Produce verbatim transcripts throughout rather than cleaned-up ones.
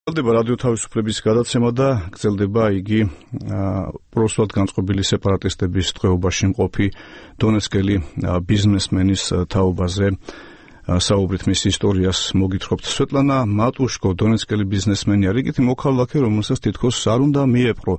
გრძელდება რადიო თავისუფლების გადაცემა და გრძელდება იგი პროსულად განწყობილი სეპარატისტების ტყვეობაში მყოფი დონეცკელი ბიზნესმენის თაობაზე საუბრით მის ისტორიას მოგითხრობთ. სვეტლანა მატუშკო დონეცკელი ბიზნესმენი არის იქეთი მოქალაქე, რომელსაც თითქოს არ უნდა მიეპყრო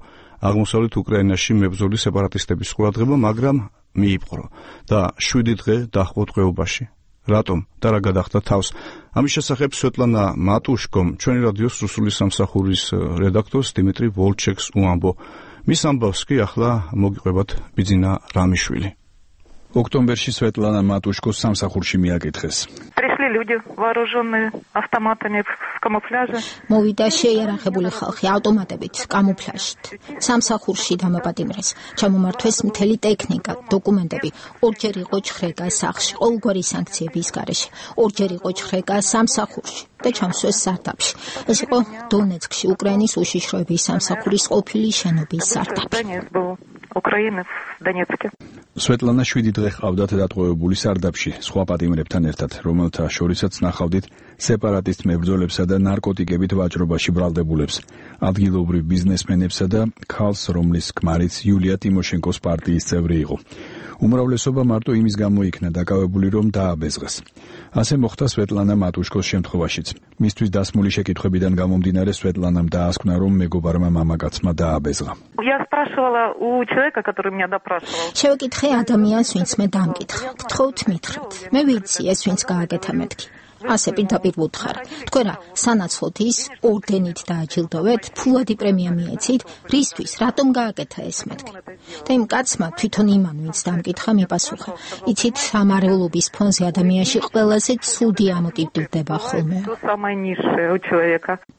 აღმოსავლეთ უკრაინაში მებრძოლი სეპარატისტების ყურადღება, მაგრამ მიიპყრო და შვიდი დღე დაჰყო ტყვეობაში. რატომ და რა გადახდა თავს? ამის შესახებ სვეტლანა მატუშკომ ჩვენი რადიოს რუსული სამსახურის რედაქტორს დიმიტრი ვოლჩეკს უამბო. მის ამბავს კი ახლა მოგიყვებათ ბიძინა რამიშვილი. ოქტომბერში სვეტლანა მატუშკოს სამსახურში მიაკითხეს. люди, вооруженные автоматами в камуфляже. მოვიდა შეიარაღებული ხალხი ავტომატებით, კამუფლაჟით. სამსახურში დამაპატიმრეს. ჩამომართვეს მთელი ტექნიკა, დოკუმენტები. ორჯერ იყო ჩხრეკა სახლში, ყოველგვარი სანქციების გარეშე. ორჯერ იყო ჩხრეკა სამსახურში და ჩამსვეს სარდაფში. ეს იყო დონეცკში, უკრაინის უშიშროების სამსახურის ყოფილი შენობის სარდაფი. უკრაინის დონეცკი. სვეტლანა შვიდი დღე ყავდათ დატყვევებული სარდაფში, სხვა პატიმრებთან ერთად, რომელთა შორისაც ნახავდით სეპარატისტ მებრძოლებსა და ნარკოტიკებით ვაჭრობაში ბრალდებულებს, ადგილობრივ ბიზნესმენებსა და ქალს, რომლის ქმარიც იულია ტიმოშენკოს პარტიის წევრი იყო. უმრავლესობა მარტო იმის გამო იქნა დაკავებული, რომ დააბეზღეს. ასე მოხდა სვეტლანა მატუშკოს შემთხვევაშიც. მისთვის დასმული შეკითხვებიდან გამომდინარე სვეტლანამ დაასკვნა, რომ მეგობარმა მამაკაცმა დააბეზღა. შევეკითხე ადამიანს, ვინც მე დამკითხა. გთხოვთ მითხრათ. მე ვიცი, ეს ვინც გააკეთა მეთქი. ასე პირდაპირ ვუთხარ. თქვენ რა, სანაცვლოდ ის ორდენით დააჯილდოვეთ, ფულადი პრემია მიეცით, რისთვის, რატომ გააკეთა ეს მეთქი? და იმ კაცმა თვითონ იმან, ვინც დამკითხა, მიპასუხა. იცით, სამარეულობის ფონზე ადამიანში ყველაზე ცუდი ამოტივდება ხოლმე.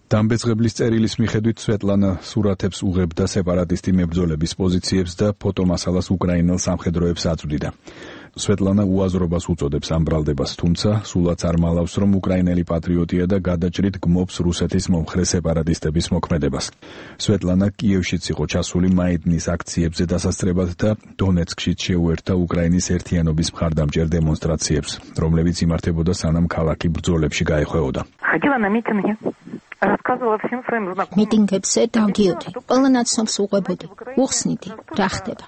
დამბეძღებლის წერილის მიხედვით სვეტლანა სურათებს უღებდა სეპარატისტი მებრძოლების პოზიციებს და ფოტომასალას უკრაინელ სამხედროებს აწვდიდა. სვეტლანა უაზრობას უწოდებს ამ ბრალდებას, თუმცა სულაც არ მალავს, რომ უკრაინელი პატრიოტია და გადაჭრით გმობს რუსეთის მომხრე სეპარატისტების მოქმედებას. სვეტლანა კიევშიც იყო ჩასული მაიდნის აქციებზე დასასწრებად და დონეცკშიც შეუერთდა უკრაინის ერთიანობის მხარდამჭერ დემონსტრაციებს, რომლებიც იმართებოდა სანამ ქალაქი ბრძოლებში გაეხვეოდა. მიტინგებზე დავდიოდი, ყველა ნაცნობს უყვებოდი, უხსნიდი, რა ხდება.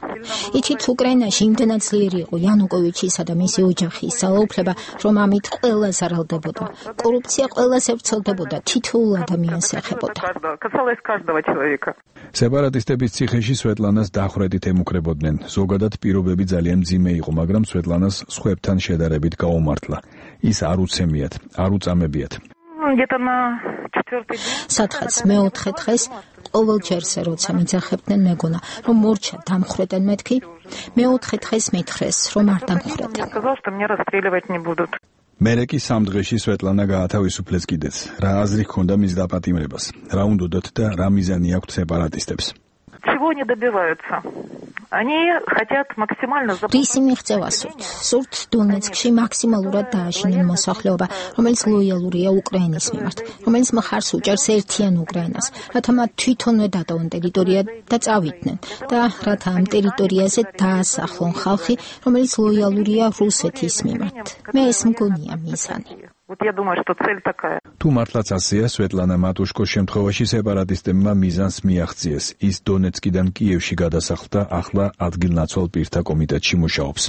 იცით, უკრაინაში იმდენად ძლიერი იყო იანუკოვიჩისა და მისი ოჯახის ძალაუფლება, რომ ამით ყველა ზარალდებოდა. კორუფცია ყველაზე ვრცელდებოდა, თითოეულ ადამიანს ეხებოდა. სეპარატისტების ციხეში სვეტლანას დახრედით ემუქრებოდნენ. ზოგადად პირობები ძალიან მძიმე იყო, მაგრამ სვეტლანას სხვებთან შედარებით გაუმართლა. ის არ უცემიათ, არ უწამებიათ. სათხაც მეოთხე დღეს ყოველ ჯერზე როცა მიძახებდნენ მეგონა, რომ მორჩა დამხრედენ მეთქი, მეოთხე დღეს მითხრეს, რომ არ დამხრედენ. მერე კი სამ დღეში სვეტლანა გაათავისუფლეს კიდეც. რა აზრი ჰქონდა მის დაპატიმრებას, რა უნდოდათ და რა მიზანი აქვთ სეპარატისტებს. Чего они добиваются? Они хотят максимально რისი მიღწევა სურთ? სურთ დონეცკში მაქსიმალურად დააშინონ მოსახლეობა, რომელიც ლოიალურია უკრაინის მიმართ, რომელიც მხარს უჭერს ერთიან უკრაინას, რათა მათ თვითონვე დატოვონ ტერიტორია და წავიდნენ და რათა ამ ტერიტორიაზე დაასახლონ ხალხი, რომელიც ლოიალურია რუსეთის მიმართ. მე ეს მგონია მიზანი. Вот я думаю, что цель такая. თუ მართლაც ასეა, სვეტლანა მატუშკოს შემთხვევაში სეპარატისტებმა მიზანს მიაღწიეს. ის დონეცკიდან კიევში გადასახლდა, ახლა ადგილნაცვალ პირთა კომიტეტში მუშაობს.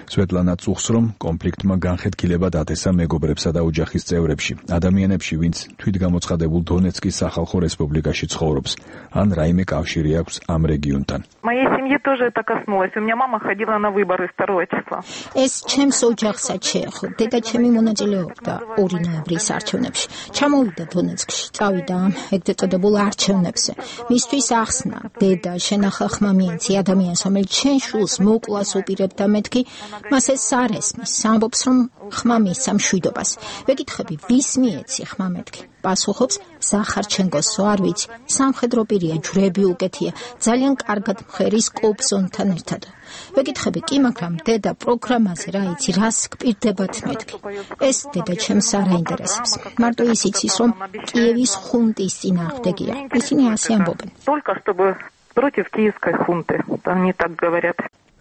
სვეტლანა წუხს, რომ კონფლიქტმა განხეთქილება დათესა მეგობრებსა და ოჯახის წევრებში, ადამიანებში, ვინც თვითგამოცხადებულ დონეცკის სახალხო რესპუბლიკაში ცხოვრობს, ან რაიმე კავშირი აქვს ამ რეგიონთან. Моей семье тоже это коснулось. У меня мама ходила на выборы второго числа. ეს ჩემს ოჯახსაც შეეხო. დედა ჩემი მონაწილეობდა ორი νοემბრის არჩევნებში. ჩამოვიდა დონეცკში, წავიდა ამ ეგრეთ წოდებულ არჩევნებზე. მისთვის ახსნა, დედა, შენახა ხმა მიეცი ადამიანს, რომელიც შენ შულს მოკლას უპირებდა მეთქი, მას ეს არ ესმის, ამბობს, რომ ხმა მისცა მშვიდობას. ვეკითხები, ვის მიეცი ხმა მეთქი? პასუხობს, ზახარჩენკოსო, არ ვიცი, სამხედრო პირია, ჯვრები უკეთია, ძალიან კარგად მღერის კობზონთან ერთად. ვეკითხები, კი, მაგრამ დედა პროგრამაზე რა იცი, რას გპირდებათ მეთქი? ეს დედა ჩემს არ აინტერესებს. მარტო ის იცის, რომ კიევის ხუნტის წინააღმდეგია. ისინი ასე ამბობენ. Только чтобы против киевской хунты, они так говорят.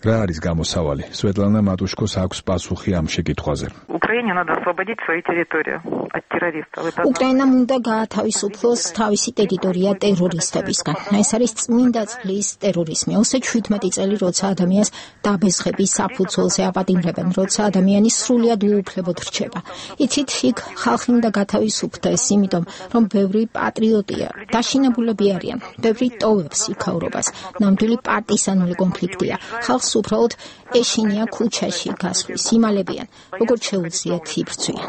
რა არის გამოსავალი? სვეტლანა მატუშკოს აქვს პასუხი ამ შეკითხვაზე. Украине надо освободить свою территорию от террористов. უკრაინამ უნდა გაათავისუფლოს თავისი ტერიტორია ტერორისტებისგან. ეს არის წმინდა წყლის ტერორიზმი. ოცდაშვიდ წელი, როცა ადამიანს დაბესხების საფუძველზე აპატიმრებენ, როცა ადამიანი სრულად უუფლებოდ რჩება. იცით, იქ ხალხი უნდა გათავისუფლდეს, იმიტომ რომ ბევრი პატრიოტია, დაშინებულები არიან, ბევრი ტოვებს იქაურობას. ნამდვილი პარტიზანული კონფლიქტია. ხალხს უბრალოდ ეშინია ქუჩაში გასვლის, იმალებიან, როგორც შეუძლიათ იბრძვიან.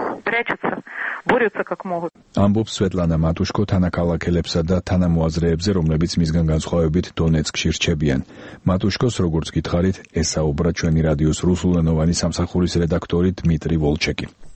Борются как могут. ამბობს სვეტლანა მატუშკო თანაკალაკელებსა და თანამოაზრეებზე, რომლებიც მისგან განსხვავებით დონეცკში რჩებიან. მატუშკოს, როგორც გითხარით, ესაუბრა ჩვენი რადიოს რუსულენოვანი სამსახურის რედაქტორი დმიტრი ვოლჩეკი.